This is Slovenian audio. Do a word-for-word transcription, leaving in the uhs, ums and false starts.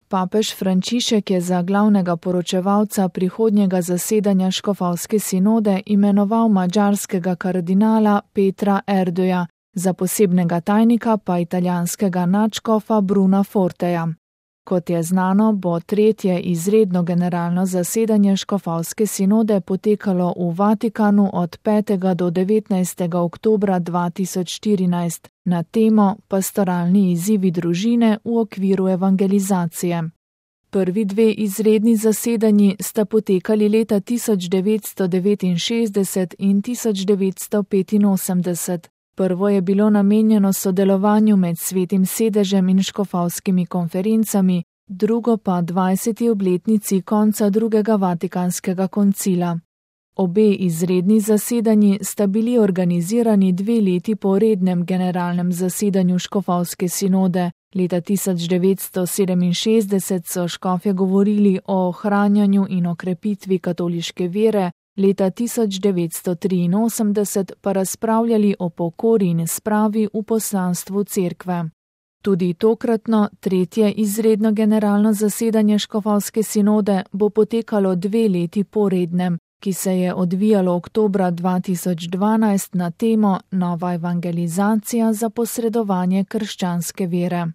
Papež Frančišek je za glavnega poročevalca prihodnjega zasedanja škofovske sinode imenoval madžarskega kardinala Petra Erdoja, za posebnega tajnika pa italijanskega nadškofa Bruna Forteja. Kot je znano, bo tretje izredno generalno zasedanje škofovske sinode potekalo v Vatikanu od petega do devetnajstega oktobra dva tisoč štirinajst na temo Pastoralni izzivi družine v okviru evangelizacije. Prvi dve izredni zasedanji sta potekali leta tisoč devetsto devetinšestdeset in tisoč devetsto petinosemdeset. Prvo je bilo namenjeno sodelovanju med Svetim sedežem in škofovskimi konferencami, drugo pa dvajseti obletnici konca drugega vatikanskega koncila. Obe izredni zasedanji sta bili organizirani dve leti po rednem generalnem zasedanju škofovske sinode. Leta tisoč devetsto sedeminšestdeset so škofje govorili o ohranjanju in okrepitvi katoliške vere, leta tisoč devetsto triinosemdeset pa razpravljali o pokori in spravi v poslanstvu cerkve. Tudi tokratno, tretje izredno generalno zasedanje škofovske sinode bo potekalo dve leti po rednem, ki se je odvijalo oktobra dva tisoč dvanajst na temo Nova evangelizacija za posredovanje krščanske vere.